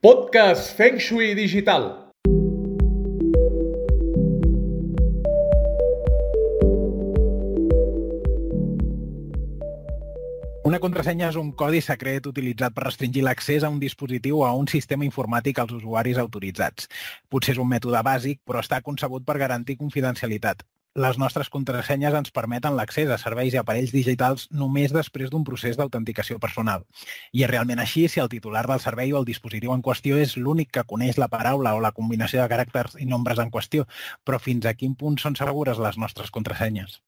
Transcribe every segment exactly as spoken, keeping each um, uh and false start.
Podcast Feng Shui Digital. Una contrasenya és un codi secret utilitzat per restringir l'accés a un dispositiu o a un sistema informàtic als usuaris autoritzats. Potser és un mètode bàsic, però està concebut per garantir confidencialitat. Les nostres contrasenyes ens permeten l'accés a serveis i aparells digitals només després d'un procés d'autenticació personal. I és realment així si el titular del servei o el dispositiu en qüestió és l'únic que coneix la paraula o la combinació de caràcters i nombres en qüestió, però fins a quin punt són segures les nostres contrasenyes?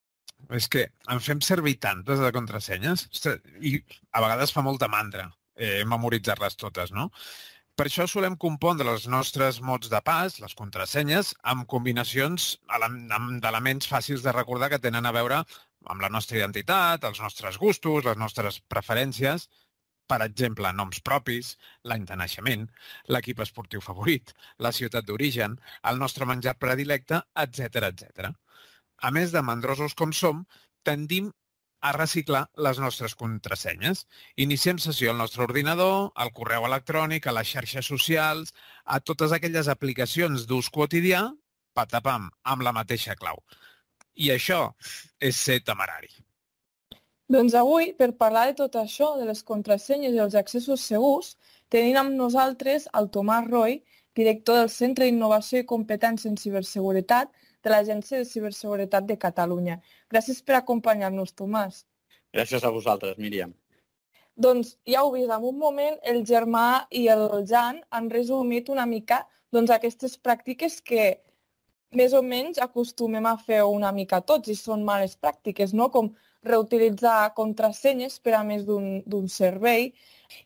És que en fem servir tantes de contrasenyes i a vegades fa molta mandra eh, memoritzar-les totes, no? Per això solem compondre els nostres mots de pas, les contrasenyes, amb combinacions d'elements fàcils de recordar que tenen a veure amb la nostra identitat, els nostres gustos, les nostres preferències, per exemple, noms propis, l'any de naixement, l'equip esportiu favorit, la ciutat d'origen, el nostre menjar predilecte, etcètera, etcètera. A més de mandrosos com som, tendim a reciclar les nostres contrasenyes. Iniciem sessió al nostre ordinador, al correu electrònic, a les xarxes socials, a totes aquelles aplicacions d'ús quotidià, patapam, amb la mateixa clau. I això és ser temerari. Doncs avui, per parlar de tot això, de les contrasenyes i els accessos segurs, tenim amb nosaltres el Tomàs Roy, director del Centre d'Innovació i Competència en Ciberseguretat de l'Agència de Ciberseguretat de Catalunya. Gràcies per acompanyar-nos, Tomàs. Gràcies a vosaltres, Míriam. Doncs ja ho vist, en un moment el Germà i el Jan han resumit una mica doncs, aquestes pràctiques que més o menys acostumem a fer una mica tots i són males pràctiques, no? Com reutilitzar contrasenyes per a més d'un servei.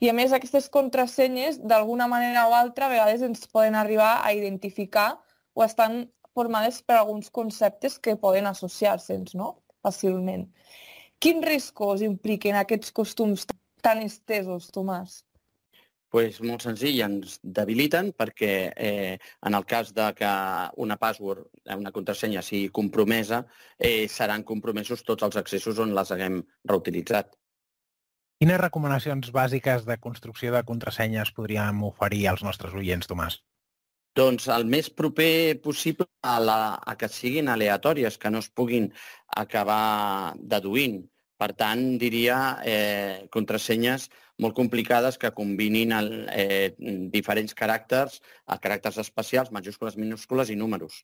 I a més aquestes contrasenyes, d'alguna manera o altra, a vegades ens poden arribar a identificar o estan formades per alguns conceptes que poden associar-se'ns, no? Fàcilment. Quins riscos impliquen aquests costums tan estesos, Tomàs? Pues molt senzill, ens debiliten perquè eh, en el cas de que una password, una contrasenya sigui compromesa, eh, seran compromesos tots els accessos on les haguem reutilitzat. Quines recomanacions bàsiques de construcció de contrasenyes podríem oferir als nostres oients, Tomàs? Doncs el més proper possible a, la, a que siguin aleatòries, que no es puguin acabar deduint. Per tant, diria eh, contrasenyes molt complicades que combinin el, eh, diferents caràcters, caràcters especials, majúscules, minúscules i números.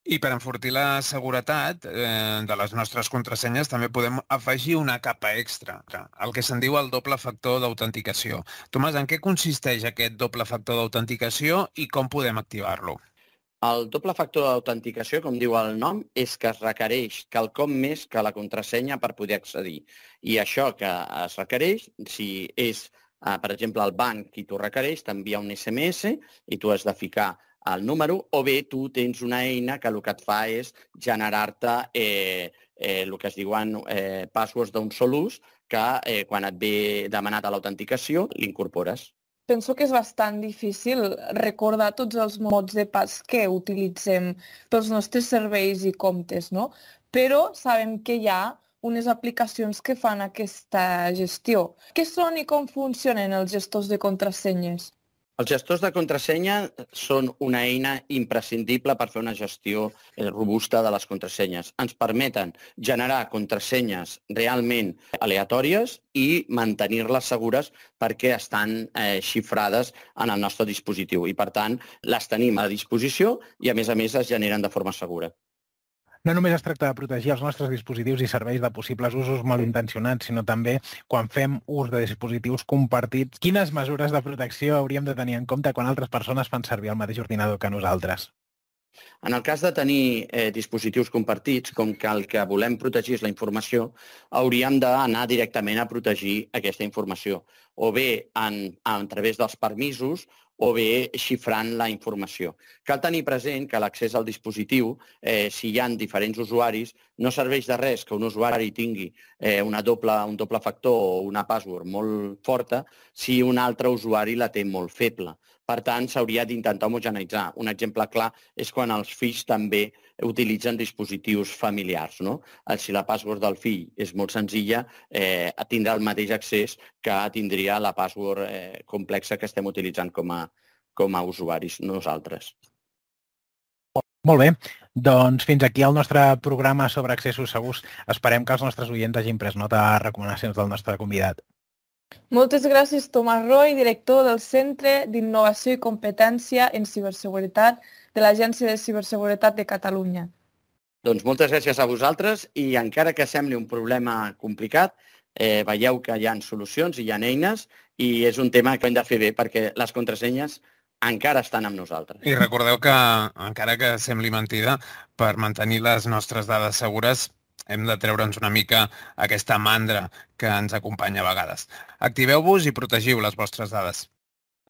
I per enfortir la seguretat eh, de les nostres contrasenyes també podem afegir una capa extra, el que se'n diu el doble factor d'autenticació. Tomàs, en què consisteix aquest doble factor d'autenticació i com podem activar-lo? El doble factor d'autenticació, com diu el nom, és que es requereix quelcom més que la contrasenya per poder accedir. I això que es requereix, si és, eh, per exemple, el banc qui t'ho requereix, t'envia un esse eme esse i tu has de ficar el número, o bé tu tens una eina que el que et fa és generar-te eh, eh, el que es diuen eh, passwords d'un sol ús que eh, quan et ve demanat a l'autenticació l'incorpores. Penso que és bastant difícil recordar tots els mots de pas que utilitzem pels nostres serveis i comptes, no? Però sabem que hi ha unes aplicacions que fan aquesta gestió. Què són i com funcionen els gestors de contrasenyes? Els gestors de contrasenya són una eina imprescindible per fer una gestió robusta de les contrasenyes. Ens permeten generar contrasenyes realment aleatòries i mantenir-les segures perquè estan eh, xifrades en el nostre dispositiu i, per tant, les tenim a disposició i, a més a més, es generen de forma segura. No només es tracta de protegir els nostres dispositius i serveis de possibles usos malintencionats, sinó també quan fem ús de dispositius compartits. Quines mesures de protecció hauríem de tenir en compte quan altres persones fan servir el mateix ordinador que nosaltres? En el cas de tenir eh, dispositius compartits, com que el que volem protegir és la informació, hauríem d'anar directament a protegir aquesta informació, o bé en, a través dels permisos, o bé xifrant la informació. Cal tenir present que l'accés al dispositiu, eh, si hi ha diferents usuaris, no serveix de res que un usuari tingui eh, una doble, un doble factor o una password molt forta si un altre usuari la té molt feble. Per tant, s'hauria d'intentar homogeneitzar. Un exemple clar és quan els fills també utilitzen dispositius familiars, no? Si la password del fill és molt senzilla, eh, tindrà el mateix accés que tindria triar la password eh, complexa que estem utilitzant com a, com a usuaris nosaltres. Molt bé, doncs fins aquí el nostre programa sobre accessos segurs. Esperem que els nostres oients hagin pres nota de les recomanacions del nostre convidat. Moltes gràcies, Tomàs Roy, director del Centre d'Innovació i Competència en Ciberseguretat de l'Agència de Ciberseguretat de Catalunya. Doncs moltes gràcies a vosaltres i encara que sembli un problema complicat, eh, veieu que hi ha solucions i hi ha eines i és un tema que hem de fer bé perquè les contrasenyes encara estan amb nosaltres. I recordeu que, encara que sembli mentida, per mantenir les nostres dades segures hem de treure'ns una mica aquesta mandra que ens acompanya a vegades. Activeu-vos i protegiu les vostres dades.